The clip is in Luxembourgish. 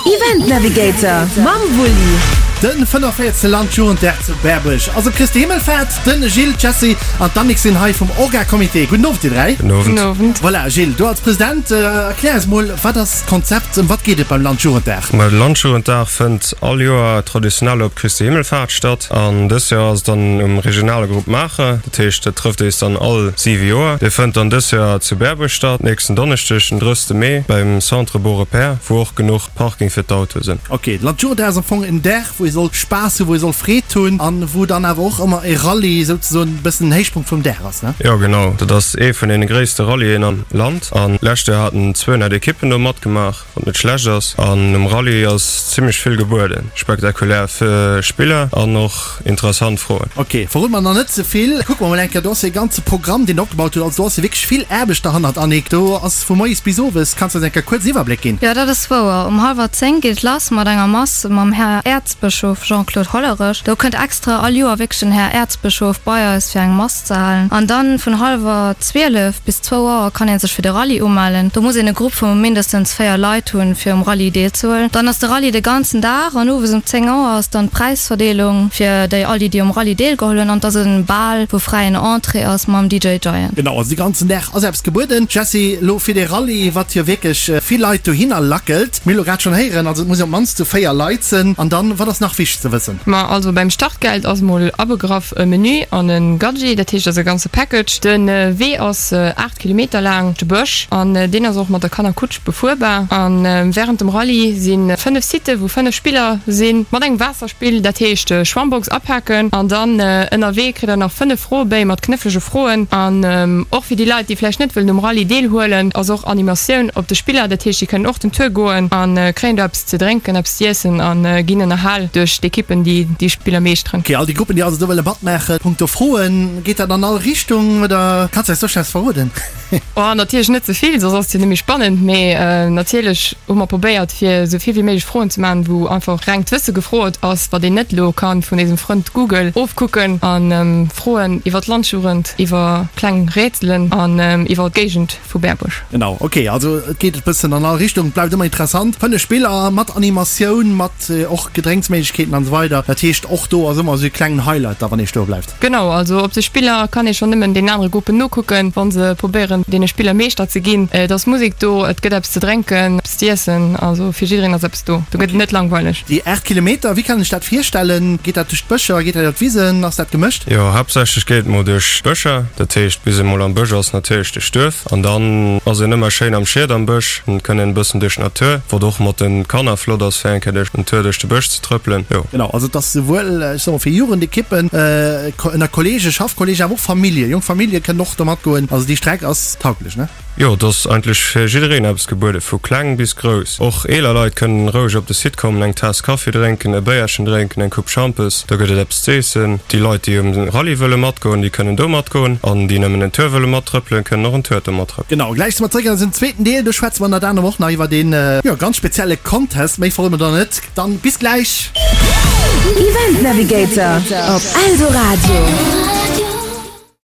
Event Navigator mam Wulli. Den 45. Landjugenddag zu Berbuerg ass op Christi Himmelfahrt. Den Gilles, d'Jessy an d'Annick sinn hei vum Orga-Comité. Gudden Owend dir 3. Gudden Owend. Gudden Owend. Voilà, Gilles, du als President, erklär eis mol, wat ass d'Konzept, ëm wat geet et beim Landjugenddag? Ma de Landjugenddag fënnt all Joer traditionell op Christi Himmelfahrt statt an dës Joer ass et dann um regionale Grupp Maacher. Dat heescht, dat trëfft eis dann all 7 Joer. Dee fënnt dann dës Joer zu Berbuerg statt, nächsten Donneschdeg, den 30 Mee, beim Centre Beaurepaire, wou och genuch Parking fir d'Autoe sinn. Ok, de Landjugenddag ass am Fong en Dag, wou ee soll Spaass hunn, wou ee soll Freed hunn an wou dann awer och ëmmer e Rallye souzesoen e bëssen den Héichpunkt vum Dag ass, ne? Jo, genau. Dat ass ee vun deene gréisste Rallyen am Land an d'lescht Joer haten 200 Ekippen do matgemaach. Wat net schlecht ass. An um Rallye ass zimmlech vill gebueden. Spektakulär Spiller an och interessant Froen. Ok, verrode mer nach net ze vill. Kucke mer mol eng Kéier, do ass jo e ganze Programm deen der opgebaut hutt. Also do ass jo wierklech vill Aarbecht derhannert, Annick. Do ass vu moies bis owes. Kanns du eis eng Kéier kuerz en Iwwerbléck ginn? Jo, dat ass wouer. Um hallwer 10 geet et lass mat enger Mass mam Här Äerzbëschof Jean-Claude Hollerech. Do kënnt extra all Joer wierklech den Här Äerzbëschof bei eis fir eng Mass ze halen. An dann vun hallwer 12 bis zwou Auer kann een sech fir de Rallye umellen. Do muss een e Grupp vu mindestens 4 Leit hunn, fir um Rallye deelzehuelen. Dann ass de Rallye de ganzen Dag an owes um 10 Auer ass dann d'Präisverdeelung fir déi all déi, déi um Rallye deelgeholl hunn. An et ass e Bal, wou fräien Entrée ass mam DJ Giant. Genau, also de ganzen Dag ass eppes gebueden. Jessy, lo fir dee Rallye, wat jo wierklech vill Leit dohinner lackelt, mir hu lo grad schonn héieren, also et muss een op d'mannst zu 4 Leit sënn. An dann, wat ass nach wichteg ze wëssen? Ma also beim Startgeld ass mol abegraff e Menü an e Gadget, dat heescht ass e ganze Package. De Wee ass 8 Kilometer laang, de Bësch, an deen ass och mat der Kannerkutsch befuerbar. A wärend dem Rallye si 5 Sitte wou 5 Spiller sinn, mat engem Waasserspill, dat heescht Schwammbox apaken an dann ënnerwee kritt der nach 5 Froebéi mat knëfflege Froen. An och fir déi Leit, déi vläicht net wëllen um Rallye deelhuelen, ass och Animatioun op de Spiller, dat heescht déi kënnen och den Tour goen a kréien do eppes ze drénken, eppes z'iessen a ginn ënnerhal duerch d'Ekippen, déi déi Spiller meeschteren. Ok, all déi Gruppen, déi also do wëlle matmaachen, punkto Froen, geet dat an all Richtung oder kanns du eis do scho eppes verroden? Oh, natierlech net ze vill, soss ass et jo net méi spannend, mee natierlech hu mer probéiert, fir esou vill wéi méiglech Froen ze maachen, wou einfach rengt Wësse gefrot ass, wat een net elo ka vun éisem Frënd Google ofkucken, a Froen iwwer d'Landjugend, iwwer kleng Rätselen an iwwer d'Géigend vu Berbuerg. Genau, ok, also et geet e bëssen an all Richtung, et bleift ëmmer interessant. 5 Spiller mat Animatioun, mat och Gedrénksméiglechkeeten an esou weider. Dat heescht och do ass ëmmer esou e klengen Highlight da wann ee stoe bleift. Genau, also op de Spiller kann ee schonn nëmmen deenen anere Gruppen nokucken, wa se probéieren deene Spiller Meeschter ze ginn. Et ass Musek do, et gëtt eppes ze drénken, eppes z'iessen, also fir jiddereen ass eppes do. Do gëtt et net langweileg. Déi 8 Kilometer, wéi kann ech dat virstellen? Geet dat duerch d'Bëscher, geet dat iwwer d'Wisen, ass dat gemëscht? Jo, haaptsächlech geet et mol duerch d'Bëscher, dat heescht bis ee mol am Bësch ass, natierlech duerch d'Duerf. An dann ass een ëmmer schéin am Schied am Bësch, an kënn een e bëssen duerch d'Natur, wat och mat den Kanner flott ass fir eng Kéier duerch den Tour duerch de Bësch ze trëppelen, jo. Genau, also et ass souwuel, ech soe mol fir Jugendekippen, ënner Kollegen, Schaffkollegen, awer och Famillje, jonk Famillje kënnen och do matgoen. Also déi Streck ass tauglech, ne? Jo, et ass eigentlech fir jiddereen eppes gebueden, vu kleng bis grouss. Och eeler Leit kënnen roueg op de Site kommen, eng Taass Kaffi drénken, e Béierchen drénken, eng Coupe Schampes, do gëtt et eppes z'eessen. Déi Leit, déi um Rallye wëlle matgoen, déi kënnen do matgoen an déi nëmmen en Tour wëlle mattrëppelen, kënnen och en Tour do mattrëppelen. Genau, gläich si mer zréck an eisem zweeten Deel. Do schwätze mer ënnert anerem och nach iwwer een, jo, ganz spezielle Contest. Méi verrode mer da net. Dann bis gläich! Event Navigator op Eldoradio.